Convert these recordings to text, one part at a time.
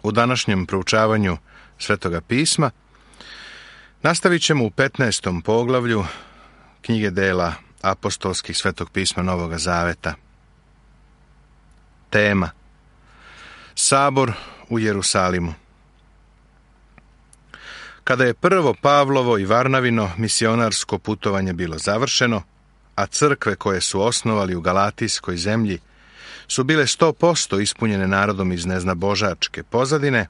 U današnjem proučavanju Svetoga pisma nastavit ćemo u 15. poglavlju knjige dela apostolskih Svetog pisma Novoga Zaveta. Tema: Sabor u Jerusalimu. Kada je prvo Pavlovo i Varnavino misionarsko putovanje bilo završeno, a crkve koje su osnovali u Galatijskoj zemlji su bile 100% ispunjene narodom iz neznabožačke pozadine,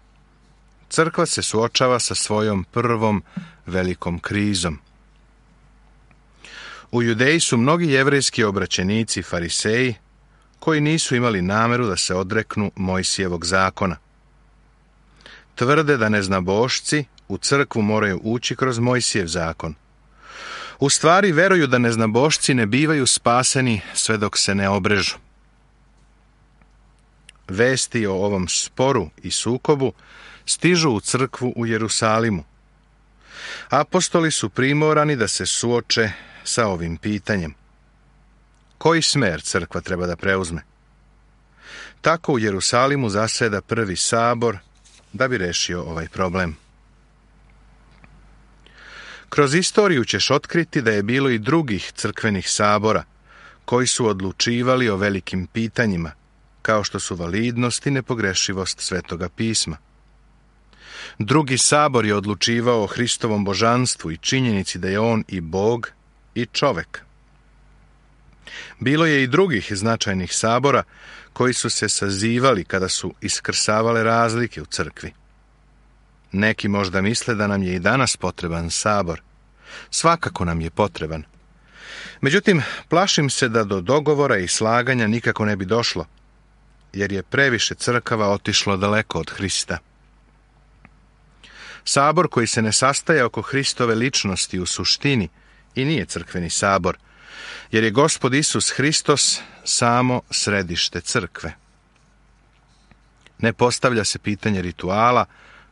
crkva se suočava sa svojom prvom velikom krizom. U Judeji su mnogi jevrejski obraćenici, fariseji, koji nisu imali nameru da se odreknu Mojsijevog zakona. Tvrde da neznabošci u crkvu moraju ući kroz Mojsijev zakon. U stvari veruju da neznabošci ne bivaju spaseni sve dok se ne obrežu. Vesti o ovom sporu i sukobu stižu u crkvu u Jerusalimu. Apostoli su primorani da se suoče sa ovim pitanjem. Koji smer crkva treba da preuzme? Tako u Jerusalimu zaseda prvi sabor da bi rešio ovaj problem. Kroz istoriju ćeš otkriti da je bilo i drugih crkvenih sabora koji su odlučivali o velikim pitanjima, kao što su validnost i nepogrešivost Svetoga pisma. Drugi sabor je odlučivao o Hristovom božanstvu i činjenici da je on i Bog i čovek. Bilo je i drugih značajnih sabora koji su se sazivali kada su iskrsavale razlike u crkvi. Neki možda misle da nam je i danas potreban sabor. Svakako nam je potreban. Međutim, plašim se da do dogovora i slaganja nikako ne bi došlo, jer je previše crkava otišlo daleko od Hrista. Sabor koji se ne sastaje oko Hristove ličnosti u suštini i nije crkveni sabor, jer je Gospod Isus Hristos samo središte crkve. Ne postavlja se pitanje rituala,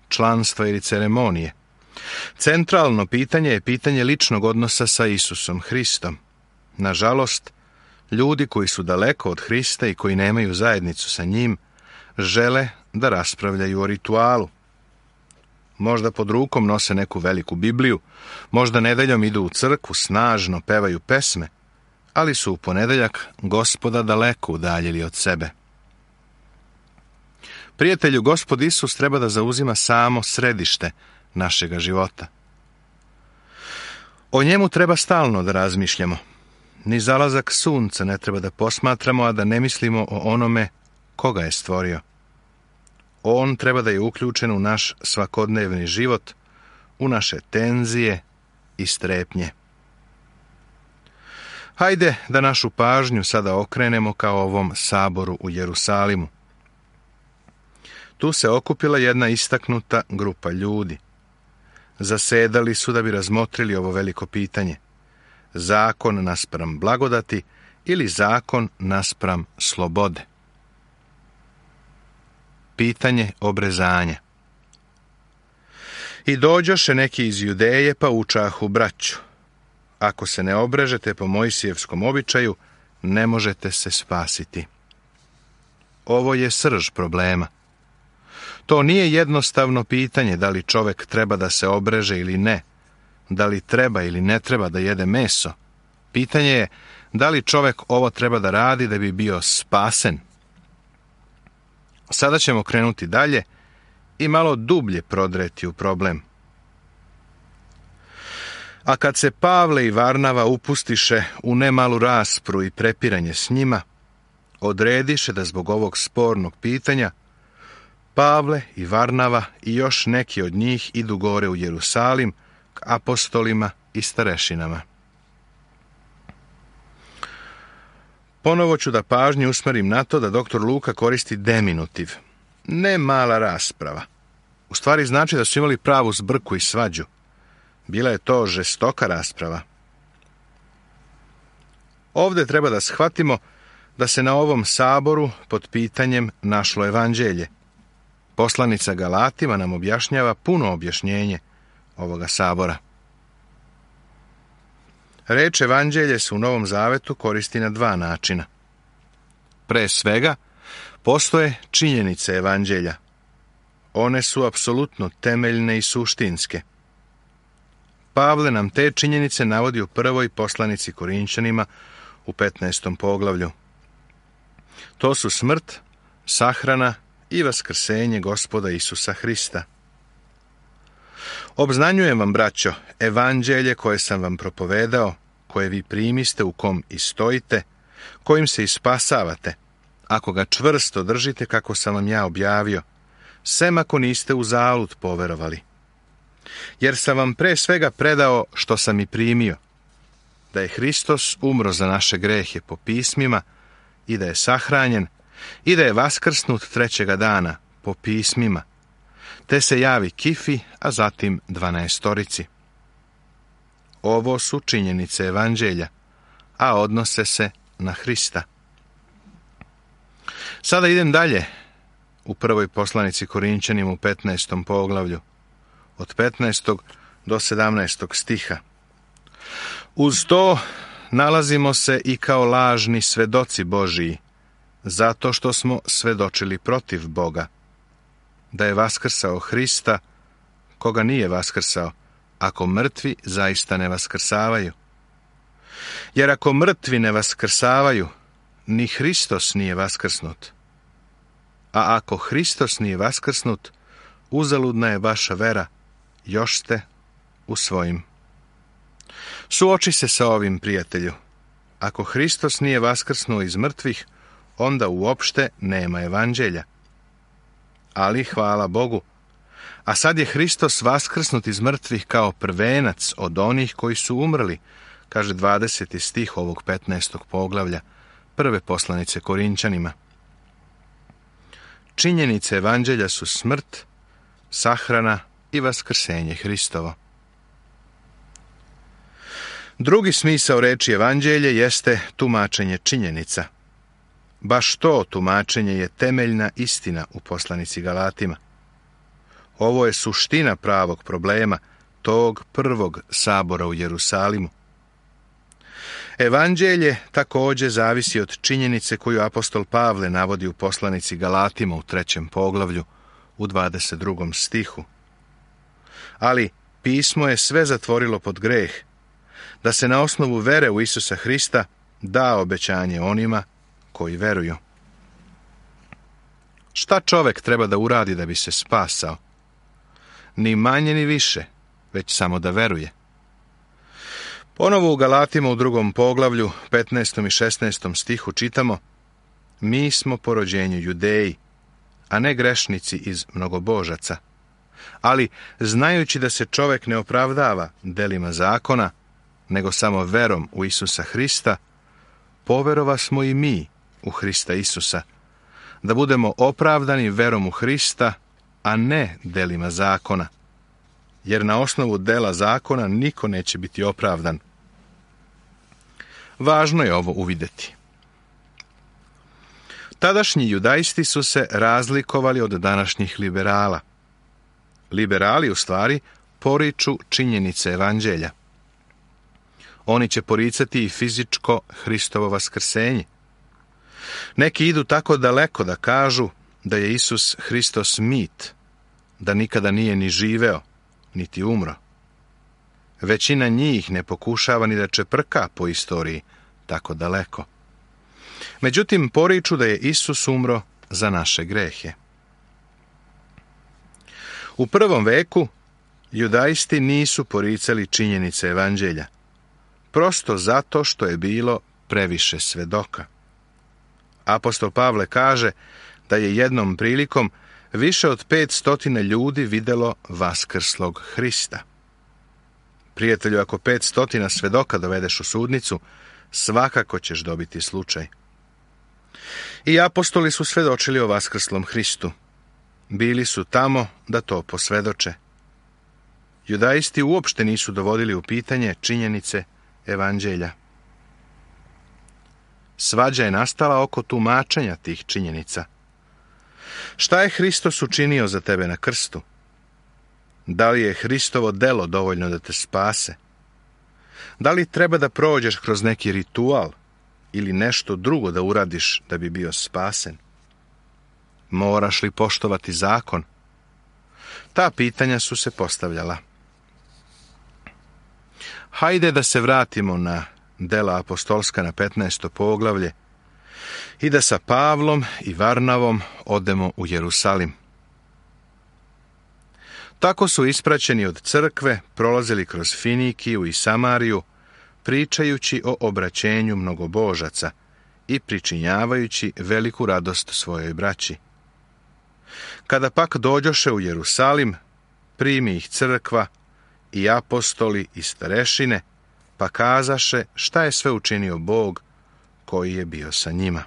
članstva ili ceremonije. Centralno pitanje je pitanje ličnog odnosa sa Isusom Hristom. Nažalost, ljudi koji su daleko od Hrista i koji nemaju zajednicu sa njim, žele da raspravljaju o ritualu. Možda pod rukom nose neku veliku Bibliju, možda nedeljom idu u crkvu, snažno pevaju pesme, ali su u ponedeljak Gospoda daleko udaljili od sebe. Prijatelju, Gospod Isus treba da zauzima samo središte našega života. O njemu treba stalno da razmišljamo. Ni zalazak sunca ne treba da posmatramo, a da ne mislimo o onome koga je stvorio. On treba da je uključen u naš svakodnevni život, u naše tenzije i strepnje. Hajde da našu pažnju sada okrenemo ka ovom saboru u Jerusalimu. Tu se okupila jedna istaknuta grupa ljudi. Zasedali su da bi razmotrili ovo veliko pitanje. Zakon naspram blagodati ili zakon naspram slobode. Pitanje obrezanja. I dođoše neki iz Judeje pa učahu braću. Ako se ne obrežete po Mojsijevskom običaju, ne možete se spasiti. Ovo je srž problema. To nije jednostavno pitanje da li čovek treba da se obreže ili ne, da li treba ili ne treba da jede meso. Pitanje je da li čovek ovo treba da radi da bi bio spasen. Sada ćemo krenuti dalje i malo dublje prodreti u problem. A kad se Pavle i Varnava upustiše u nemalu raspravu i prepiranje s njima, odrediše da zbog ovog spornog pitanja Pavle i Varnava i još neki od njih idu gore u Jerusalim k apostolima i starešinama. Ponovo ću da pažnju usmerim na to da dr. Luka koristi deminutiv. Ne mala rasprava. U stvari znači da su imali pravu zbrku i svađu. Bila je to žestoka rasprava. Ovde treba da shvatimo da se na ovom saboru pod pitanjem našlo evanđelje. Poslanica Galatima nam objašnjava puno objašnjenje ovoga sabora. Reč evanđelje se u Novom Zavetu koristi na dva načina. Pre svega, postoje činjenice evanđelja. One su apsolutno temeljne i suštinske. Pavle nam te činjenice navodi u prvoj poslanici Korinčanima u 15. poglavlju. To su smrt, sahrana i vaskrsenje Gospoda Isusa Hrista. Obznanjujem vam, braćo, evanđelje koje sam vam propovedao, koje vi primiste, u kom i stojite, kojim se i spasavate, ako ga čvrsto držite kako sam vam ja objavio, sem ako niste uzalud poverovali. Jer sam vam pre svega predao što sam i primio, da je Hristos umro za naše grehe po pismima i da je sahranjen i da je vaskrsnut trećega dana po pismima, te se javi Kifi, a zatim 12. Ovo su činjenice evanđelja, a odnose se na Hrista. Sada idem dalje u prvoj poslanici Korinčanima u 15. poglavlju, od 15. do 17. stiha. Uz to nalazimo se i kao lažni svedoci Božiji, zato što smo svedočili protiv Boga, da je vaskrsao Hrista, koga nije vaskrsao, ako mrtvi zaista ne vaskrsavaju. Jer ako mrtvi ne vaskrsavaju, ni Hristos nije vaskrsnut. A ako Hristos nije vaskrsnut, uzaludna je vaša vera, još ste u svojim. Suoči se sa ovim, prijatelju. Ako Hristos nije vaskrsnuo iz mrtvih, onda uopšte nema evanđelja. Ali hvala Bogu, a sad je Hristos vaskrsnut iz mrtvih kao prvenac od onih koji su umrli, kaže 20. stih ovog 15. poglavlja prve poslanice Korinčanima. Činjenice evanđelja su smrt, sahrana i vaskrsenje Hristovo. Drugi smisao reči evanđelje jeste tumačenje činjenica. Baš to tumačenje je temeljna istina u poslanici Galatima. Ovo je suština pravog problema tog prvog sabora u Jerusalimu. Evanđelje također zavisi od činjenice koju apostol Pavle navodi u poslanici Galatima u 3. poglavlju u 22. stihu. Ali pismo je sve zatvorilo pod greh, da se na osnovu vere u Isusa Hrista da obećanje onima koji veruju. Šta čovek treba da uradi da bi se spasao? Ni manje ni više, već samo da veruje. Ponovo u Galatima u 2. poglavlju, 15. i 16. stihu čitamo: Mi smo po rođenju Judeji, a ne grešnici iz mnogobožaca. Ali, znajući da se čovek ne opravdava delima zakona, nego samo verom u Isusa Hrista, poverova smo i mi u Hrista Isusa, da budemo opravdani verom u Hrista, a ne delima zakona. Jer na osnovu dela zakona niko neće biti opravdan. Važno je ovo uvidjeti. Tadašnji judaisti su se razlikovali od današnjih liberala. Liberali, u stvari, poriču činjenice evanđelja. Oni će poricati i fizičko Hristovo vaskrsenje. Neki idu tako daleko da kažu da je Isus Hristos mit, da nikada nije ni živeo, niti umro. Većina njih ne pokušava ni da čeprka po istoriji tako daleko. Međutim, poriču da je Isus umro za naše grehe. U prvom veku judaisti nisu poricali činjenice evanđelja, prosto zato što je bilo previše svedoka. Apostol Pavle kaže da je jednom prilikom više od 500 ljudi videlo vaskrslog Hrista. Prijatelju, ako 500 svedoka dovedeš u sudnicu, svakako ćeš dobiti slučaj. I apostoli su svedočili o vaskrslom Hristu. Bili su tamo da to posvedoče. Judaisti uopšte nisu dovodili u pitanje činjenice evanđelja. Svađa je nastala oko tumačenja tih činjenica. Šta je Hristos učinio za tebe na krstu? Da li je Hristovo delo dovoljno da te spase? Da li treba da prođeš kroz neki ritual ili nešto drugo da uradiš da bi bio spasen? Moraš li poštovati zakon? Ta pitanja su se postavljala. Hajde da se vratimo na Dela apostolska na 15. poglavlje i da sa Pavlom i Varnavom odemo u Jerusalim. Tako su ispraćeni od crkve prolazili kroz Finikiju i Samariju, pričajući o obraćenju mnogobožaca i pričinjavajući veliku radost svojoj braći. Kada pak dođoše u Jerusalim, primi ih crkva i apostoli i starešine, pa kazaše šta je sve učinio Bog koji je bio sa njima.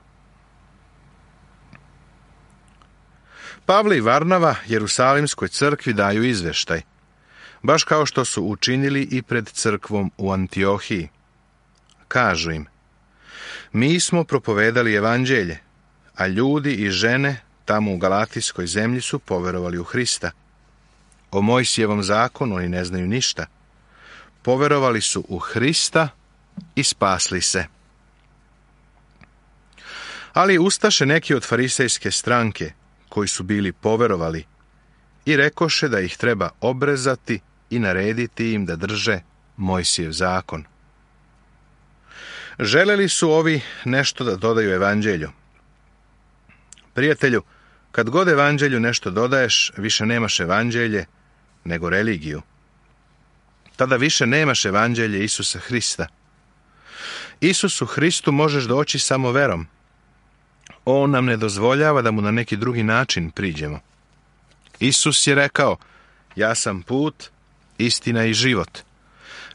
Pavle i Varnava Jerusalimskoj crkvi daju izveštaj, baš kao što su učinili i pred crkvom u Antiohiji. Kažu im: mi smo propovedali evanđelje, a ljudi i žene tamo u Galatijskoj zemlji su poverovali u Hrista. O Mojsijevom zakonu oni ne znaju ništa. Poverovali su u Hrista i spasli se. Ali ustaše neki od farisejske stranke, koji su bili poverovali, i rekoše da ih treba obrezati i narediti im da drže Mojsijev zakon. Želeli su ovi nešto da dodaju evanđelju. Prijatelju, kad god evanđelju nešto dodaješ, više nemaš evanđelje, nego religiju. Tada više nemaš evanđelje Isusa Hrista. Isusu Hristu možeš doći samo verom. On nam ne dozvoljava da mu na neki drugi način priđemo. Isus je rekao: ja sam put, istina i život.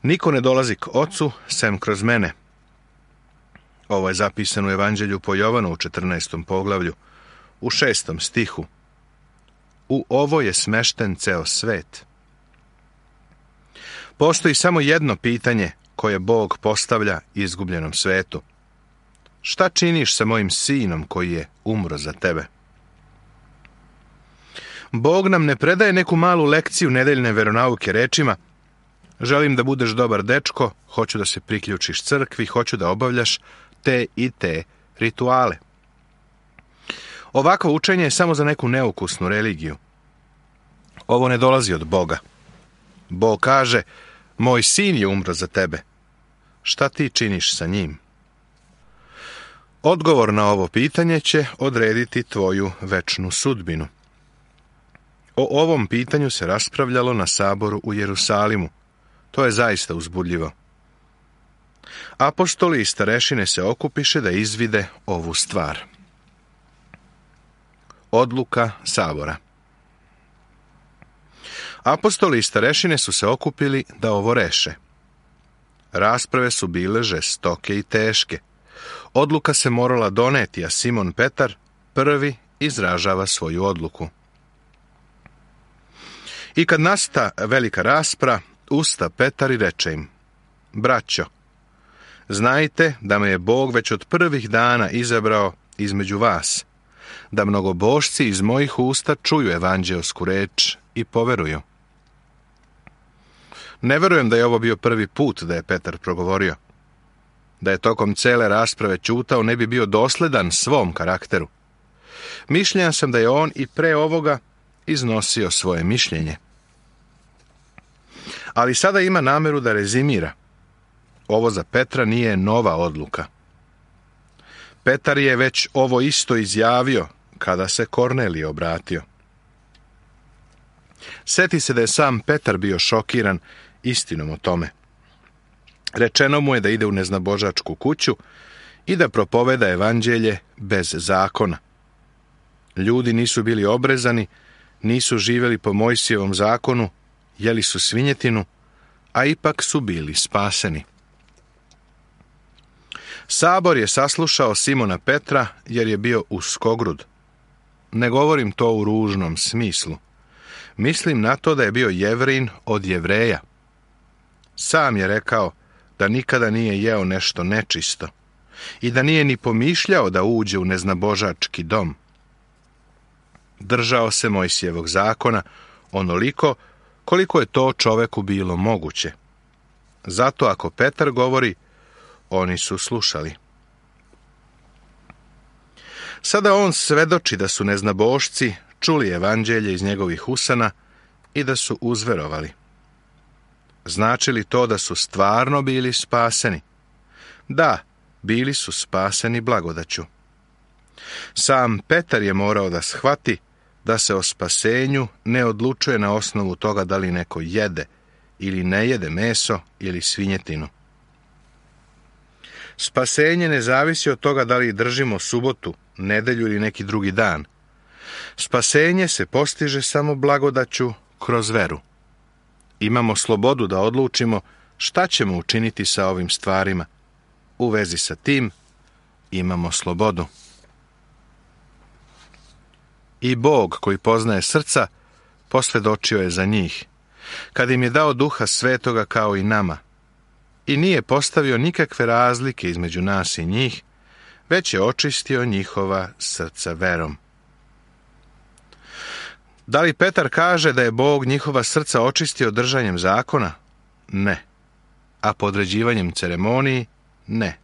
Niko ne dolazi k Ocu sem kroz mene. Ovo je zapisano u Evanđelju po Jovanu u 14. poglavlju, u 6. stihu. U ovo je smešten ceo svet. Postoji samo jedno pitanje koje Bog postavlja izgubljenom svetu. Šta činiš sa mojim sinom koji je umro za tebe? Bog nam ne predaje neku malu lekciju nedeljne veronauke rečima: želim da budeš dobar dečko, hoću da se priključiš crkvi, hoću da obavljaš te i te rituale. Ovakvo učenje je samo za neku neukusnu religiju. Ovo ne dolazi od Boga. Bog kaže: moj sin je umro za tebe. Šta ti činiš sa njim? Odgovor na ovo pitanje će odrediti tvoju večnu sudbinu. O ovom pitanju se raspravljalo na saboru u Jerusalimu. To je zaista uzbudljivo. Apostoli i starešine se okupiše da izvide ovu stvar. Odluka sabora. Apostoli i starešine su se okupili da ovo reše. Rasprave su bile žestoke i teške. Odluka se morala doneti, a Simon Petar prvi izražava svoju odluku. I kad nasta velika raspra, usta Petar i reče im: braćo, znajte da me je Bog već od prvih dana izabrao između vas, da mnogobožci iz mojih usta čuju evanđeosku reč i poveruju. Ne verujem da je ovo bio prvi put da je Petar progovorio. Da je tokom cele rasprave ćutao, ne bi bio dosledan svom karakteru. Mišljen sam da je on i pre ovoga iznosio svoje mišljenje. Ali sada ima nameru da rezimira. Ovo za Petra nije nova odluka. Petar je već ovo isto izjavio kada se Kornelije obratio. Seti se da je sam Petar bio šokiran istinom o tome. Rečeno mu je da ide u neznabožačku kuću i da propoveda evanđelje bez zakona. Ljudi nisu bili obrezani, nisu živjeli po Mojsijevom zakonu, jeli su svinjetinu, a ipak su bili spaseni. Sabor je saslušao Simona Petra jer je bio uskogrud. Ne govorim to u ružnom smislu. Mislim na to da je bio Jevrin od Jevreja. Sam je rekao da nikada nije jeo nešto nečisto i da nije ni pomišljao da uđe u neznabožački dom. Držao se Mojsijevog zakona onoliko koliko je to čoveku bilo moguće. Zato ako Petar govori, oni su slušali. Sada on svedoči da su neznabošci čuli evanđelje iz njegovih usana i da su uzverovali. Znači li to da su stvarno bili spaseni? Da, bili su spaseni blagodaću. Sam Petar je morao da shvati da se o spasenju ne odlučuje na osnovu toga da li neko jede ili ne jede meso ili svinjetinu. Spasenje ne zavisi od toga da li držimo subotu, nedelju ili neki drugi dan. Spasenje se postiže samo blagodaću kroz veru. Imamo slobodu da odlučimo šta ćemo učiniti sa ovim stvarima. U vezi sa tim imamo slobodu. I Bog, koji poznaje srca, posvjedočio je za njih, kad im je dao Duha Svetoga kao i nama, i nije postavio nikakve razlike između nas i njih, već je očistio njihova srca verom. Da li Petar kaže da je Bog njihova srca očistio držanjem zakona? Ne. A podređivanjem ceremoniji? Ne.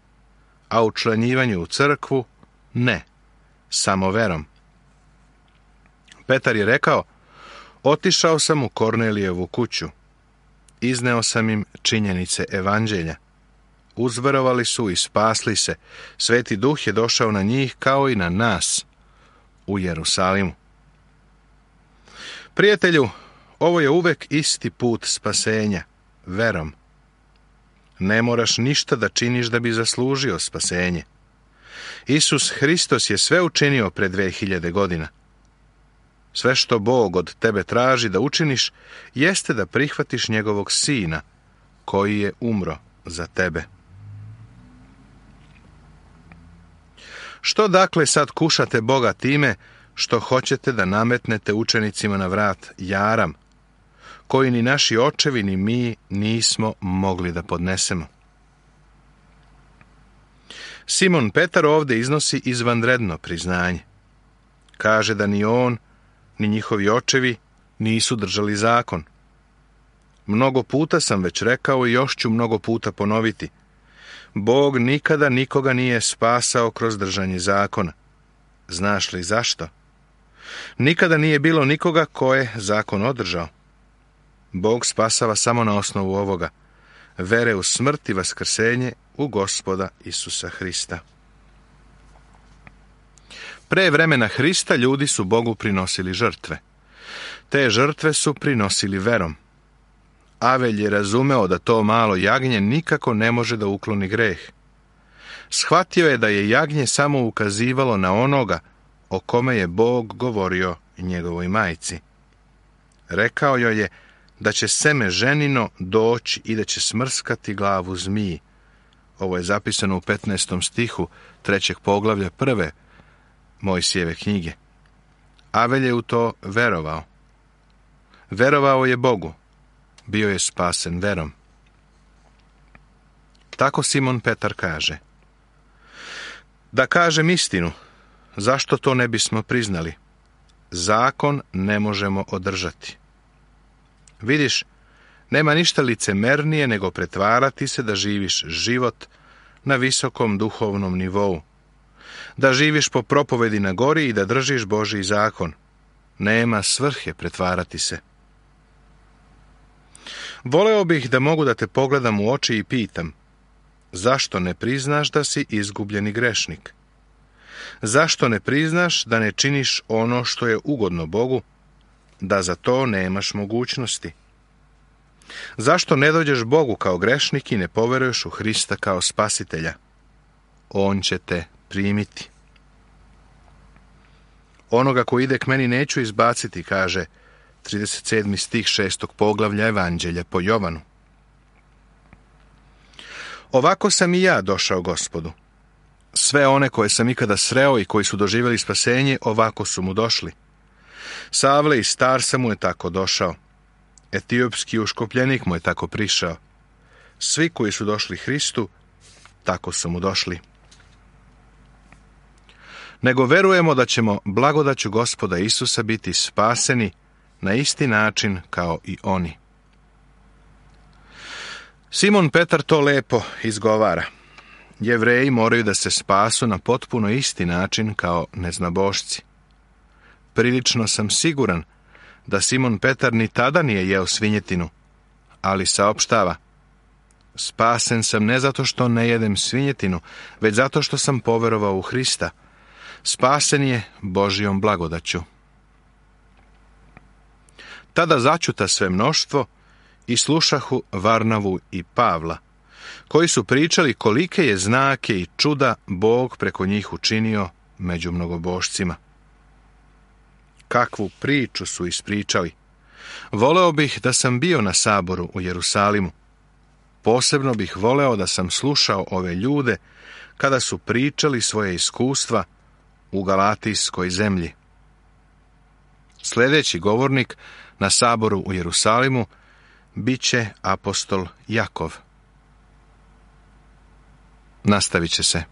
A učlanjivanju u crkvu? Ne. Samo verom. Petar je rekao: otišao sam u Kornelijevu kuću. Izneo sam im činjenice evanđelja. Uzverovali su i spasli se. Sveti Duh je došao na njih kao i na nas u Jerusalimu. Prijatelju, ovo je uvek isti put spasenja, verom. Ne moraš ništa da činiš da bi zaslužio spasenje. Isus Hristos je sve učinio pre 2000 godina. Sve što Bog od tebe traži da učiniš, jeste da prihvatiš njegovog Sina, koji je umro za tebe. Što dakle sad kušate Boga time što hoćete da nametnete učenicima na vrat jaram, koji ni naši očevi ni mi nismo mogli da podnesemo? Simon Petar ovdje iznosi izvanredno priznanje. Kaže da ni on, ni njihovi očevi nisu držali zakon. Mnogo puta sam već rekao i još ću mnogo puta ponoviti. Bog nikada nikoga nije spasao kroz držanje zakona. Znaš li zašto? Nikada nije bilo nikoga ko je zakon održao. Bog spasava samo na osnovu ovoga: vere u smrt i vaskrsenje u Gospoda Isusa Hrista. Pre vremena Hrista ljudi su Bogu prinosili žrtve. Te žrtve su prinosili verom. Avelj je razumeo da to malo jagnje nikako ne može da ukloni greh. Shvatio je da je jagnje samo ukazivalo na onoga o kome je Bog govorio njegovoj majci. Rekao joj je da će seme ženino doći i da će smrskati glavu zmiji. Ovo je zapisano u 15. stihu 3. poglavlja 1. Mojsijeve knjige. Avelj je u to verovao. Verovao je Bogu. Bio je spasen verom. Tako Simon Petar kaže: da kažem istinu, zašto to ne bismo priznali? Zakon ne možemo održati. Vidiš, nema ništa licemernije nego pretvarati se da živiš život na visokom duhovnom nivou. Da živiš po propovedi na gori i da držiš Božji zakon. Nema svrhe pretvarati se. Voleo bih da mogu da te pogledam u oči i pitam: zašto ne priznaš da si izgubljeni grešnik? Zašto ne priznaš da ne činiš ono što je ugodno Bogu, da za to nemaš mogućnosti? Zašto ne dođeš Bogu kao grešnik i ne poveruješ u Hrista kao spasitelja? On će te primiti. Onoga ko ide k meni neću izbaciti, kaže 37. stih 6. poglavlja Evanđelja po Jovanu. Ovako sam i ja došao Gospodu. Sve one koje sam ikada sreo i koji su doživjeli spasenje, ovako su mu došli. Savle i Starsa mu je tako došao. Etiopski uškopljenik mu je tako prišao. Svi koji su došli Hristu, tako su mu došli. Nego verujemo da ćemo blagodaću Gospoda Isusa biti spaseni na isti način kao i oni. Simon Petar to lepo izgovara. Jevreji moraju da se spasu na potpuno isti način kao neznabošci. Prilično sam siguran da Simon Petar ni tada nije jeo svinjetinu, ali saopštava: spasen sam ne zato što ne jedem svinjetinu, već zato što sam poverovao u Hrista. Spasen je Božjom blagodaću. Tada začuta sve mnoštvo i slušahu Varnavu i Pavla, koji su pričali kolike je znake i čuda Bog preko njih učinio među mnogobošcima. Kakvu priču su ispričali! Voleo bih da sam bio na saboru u Jerusalimu. Posebno bih voleo da sam slušao ove ljude kada su pričali svoje iskustva u Galatijskoj zemlji. Sljedeći govornik na saboru u Jerusalimu bit će apostol Jakov. Nastavit će se.